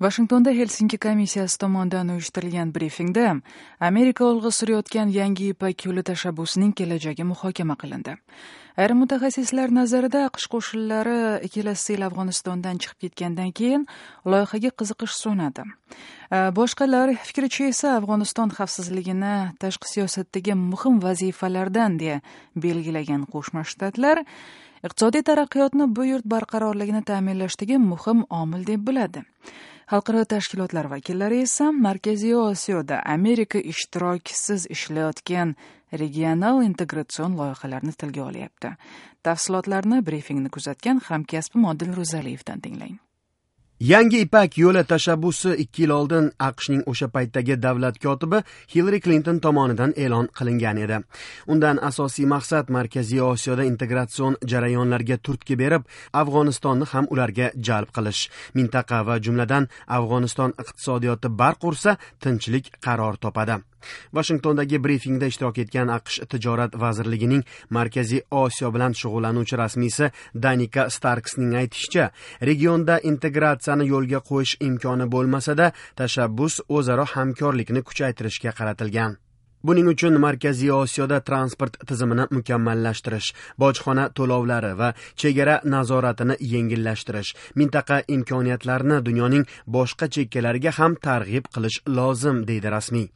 Vashingtonda Helsinki komissiyasi tomonidan uyushtirilgan brifingda Amerika olg'a surayotgan Yangi Ipak yo'li tashabbusining kelajagi muhokama qilindi. Ayrim mutaxassislar nazarida, AQSh qo'shinlari kelasi yil Afg'onistondan chiqib ketgandan keyin loyihaga qiziqish so'nadi. Boshqalar fikricha esa Afg'oniston xavfsizligini tashqi siyosatdagi muhim vazifalardan deya belgilagan Qo'shma Shtatlar iqtisodiy taraqqiyotni bu yurt barqarorligini ta'minlashdagi muhim omil deb biladi. Xalqaro tashkilotlar vakillari esa Markaziy Osiyoda Amerika ishtirokisiz ishlayotgan regional integratsion loyihalarni tilga olyapti. Tafsilotlarni brifingni kuzatgan hamkasbim Odil Ro'zaliyevdan tinglang. Yangi Ipak yo'li tashabbusi 2 yil oldin AQShning o'sha paytdagi davlat kotibi Hillari Klinton tomonidan e'lon qilingan edi. Undan asosiy maqsad Markaziy Osiyoda integratsion jarayonlarga turtki berib, Afg'onistonni ham ularga jalb qilish. Mintaqa va jumladan Afg'oniston iqtisodiyoti barq ursa, tinchlik qaror topadi. Vashingtondagi brifingda ishtirok etgan AQSh tijorat vazirligining Markaziy Osiyo bilan shug'ullanuvchi rasmiysi Danika Starksning aytishicha, regionda integratsiyani yo'lga qo'yish imkoni bo'lmasa-da, tashabbus o'zaro hamkorlikni kuchaytirishga qaratilgan. Buning uchun Markaziy Osiyoda transport tizimini mukammallashtirish, bojxona to'lovlari va chegara nazoratini yengillashtirish, mintaqa imkoniyatlarini dunyoning boshqa chekkalariga ham targ'ib qilish lozim, deydi rasmiy.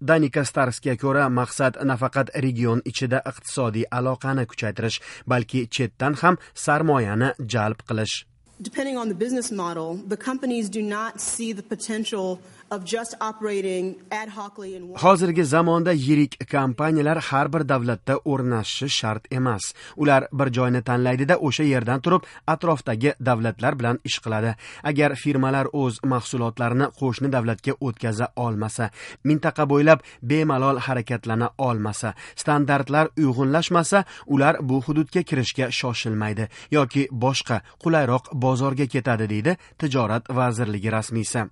Danika Starsga ko'ra, maqsad nafaqat region ichida iqtisodiy aloqani kuchaytirish, balki chetdan ham sarmoyani jalb qilish. Depending on the business model, the companies do not see the potential of just operating ad hocly in one. Hozirgi zamonda yirik kompaniyalar har bir davlatda o'rnashishi shart emas. Ular bir joyni tanlaydida, o'sha yerdan turib atrofdagi davlatlar bilan ish qiladi. Agar firmalar o'z mahsulotlarini qo'shni davlatga o'tkaza olmasa, mintaqa bo'ylab bemalol harakatlana olmasa, standartlar uyg'unlashmasa, ular bu hududga kirishga shoshilmaydi yoki boshqa qulayroq bozorga ketadi, deydi tijorat vazirligi rasmiysi.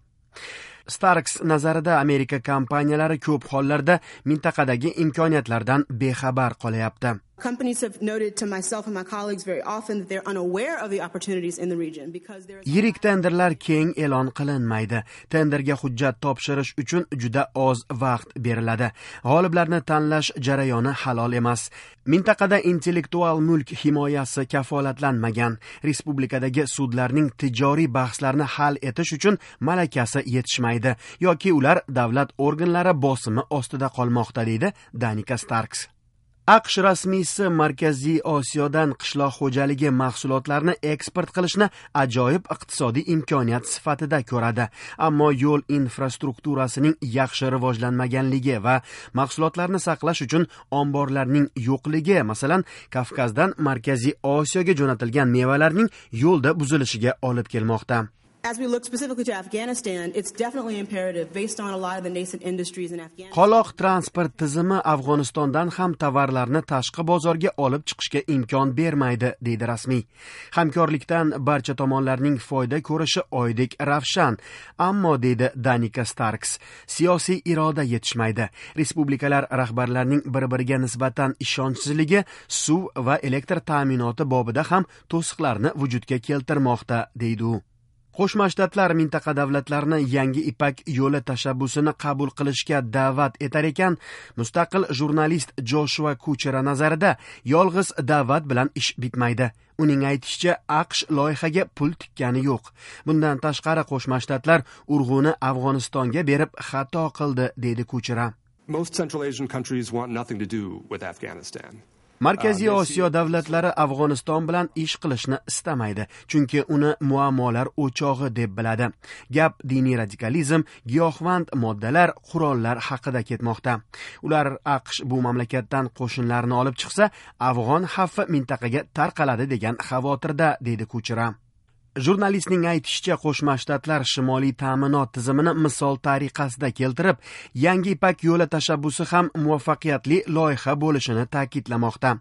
Starks nazarida, Amerika kompaniyalari ko'p hollarda mintaqadagi imkoniyatlardan bexabar qolyapti. Companies have noted to myself and my colleagues very often that they're unaware of the opportunities in the region because there is Yirik tenderlar keng e'lon qilinmaydi. Tenderga hujjat topshirish uchun juda oz vaqt beriladi. G'oliblarni tanlash jarayoni halol emas. Mintaqada intellektual mulk himoyasi kafolatlanmagan. Respublikadagi sudlarning tijoriy bahslarni hal etish uchun malakasi yetishmaydi yoki ular davlat organlari bosimi ostida qolmoqda, deydi Danika Starks. AQSh rasmiysi Markaziy Osiyodan qishloq xo'jaligi mahsulotlarini eksport qilishni ajoyib iqtisodiy imkoniyat sifatida ko'radi. Ammo yo'l infrastrukturasining yaxshi rivojlanmaganligi va mahsulotlarni saqlash uchun omborlarning yo'qligi, masalan, Kavkazdan Markaziy Osiyoga jo'natilgan mevalarning yo'lda buzilishiga olib kelmoqda. As we look specifically to Afghanistan, it's definitely imperative based on a lot of the nascent industries in Afghanistan. Qoloq transport tizimi Afg'onistondan ham tovarlarni tashqi bozorga olib chiqishga imkon bermaydi, deydi rasmiy. Hamkorlikdan barcha tomonlarning foyda ko'rishi oydek ravshan, ammo, deydi Danika Starks, siyosiy iroda yetishmaydi. Respublikalar rahbarlarining bir-biriga nisbatan ishonchsizligi suv va elektr ta'minoti bobida ham to'siqlarni vujudga keltirmoqda, deydi u. Qo'shma Shtatlar mintaqa davlatlarini Yangi Ipak yo'li tashabbusini qabul qilishga da'vat etar ekan, mustaqil jurnalist Joshua Kuchera nazarida yolg'iz da'vat bilan ish bitmaydi. Uning aytishicha, AQSh loyihaga pul tikkani yo'q. Bundan tashqari, Qo'shma Shtatlar urg'uni Afg'onistonga berib xato qildi, deydi Kuchera. Most Central Asian countries want nothing to do with Afghanistan. Markaziy Osiyo davlatlari Afg'oniston bilan ish qilishni istamaydi, chunki uni muammolar o'chog'i deb biladi. Gap diniy radikalizm, giyohvand moddalar, qurollar haqida ketmoqda. Ular AQSh bu mamlakatdan qo'shinlarini olib chiqsa, afg'on xavfi mintaqaga tarqaladi degan xavotirda, deydi Kuchera. Jurnalistning aytishicha, Qo'shma Shtatlar shimoliy ta'minot tizimini misol tariqasida keltirib, Yangi Ipak yo'li tashabbusi ham muvaffaqiyatli loyiha bo'lishini ta'kidlamoqda.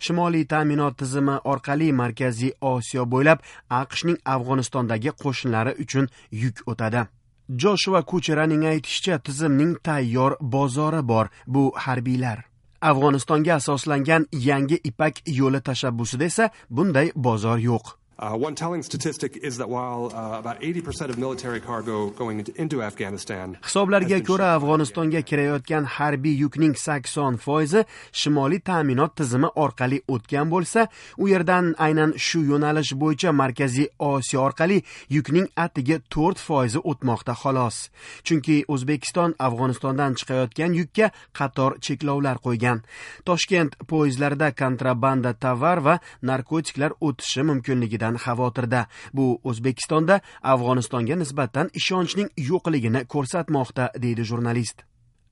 Shimoliy ta'minot tizimi orqali Markaziy Osiyo bo'ylab AQShning Afg'onistondagi qo'shinlari uchun yuk o'tadi. Joshua Kucheraning aytishicha, tizimning tayyor bozori bor, bu harbiylar. Afg'onistonga asoslangan Yangi Ipak yo'li tashabbusida esa bunday bozor yo'q. One telling statistic is that while about 80% of military cargo going into Afghanistan. Hisoblarga ko'ra, Afg'onistonga kirayotgan harbiy yukning 80% shimoliy ta'minot tizimi orqali o'tgan bo'lsa, u yerdan aynan shu yo'nalish bo'yicha Markaziy Osiyo orqali yukning atigi 4% o'tmoqda xolos. Chunki O'zbekiston Afg'onistondan chiqayotgan yukka qator cheklovlar qo'ygan. Toshkent poyezdlarida kontrabanda tovar va narkotiklar o'tishi mumkinligidan xavotirda. Bu O'zbekistonda Afg'onistonga nisbatan ishonchning yo'qligini ko'rsatmoqda, deydi jurnalist.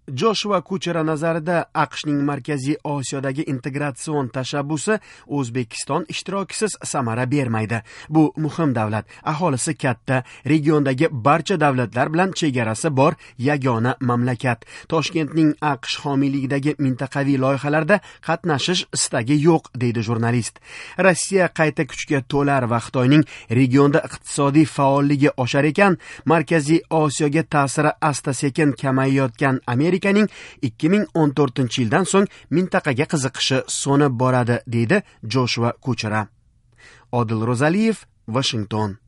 Joshua Kuchera nazarida AQShning Markaziy Osiyodagi integratsion tashabbusi O'zbekiston ishtirokisiz samara bermaydi. Bu muhim davlat, aholisi katta, regiondagi barcha davlatlar bilan chegarasi bor yagona mamlakat. Toshkentning AQSh homiyligidagi mintaqaviy loyihalarda qatnashish istagi yo'q, deydi jurnalist. Rossiya qayta kuchga to'lar va Xitoyning regionda iqtisodiy faolligi oshar ekan, Markaziy Osiyoga ta'siri asta-sekin kamayayotgan Amerikaning 2014-yildan so'ng mintaqaga qiziqishi so'nib boradi, deydi Joshua Kuchera. Odil Ro'zaliyev, Vashington.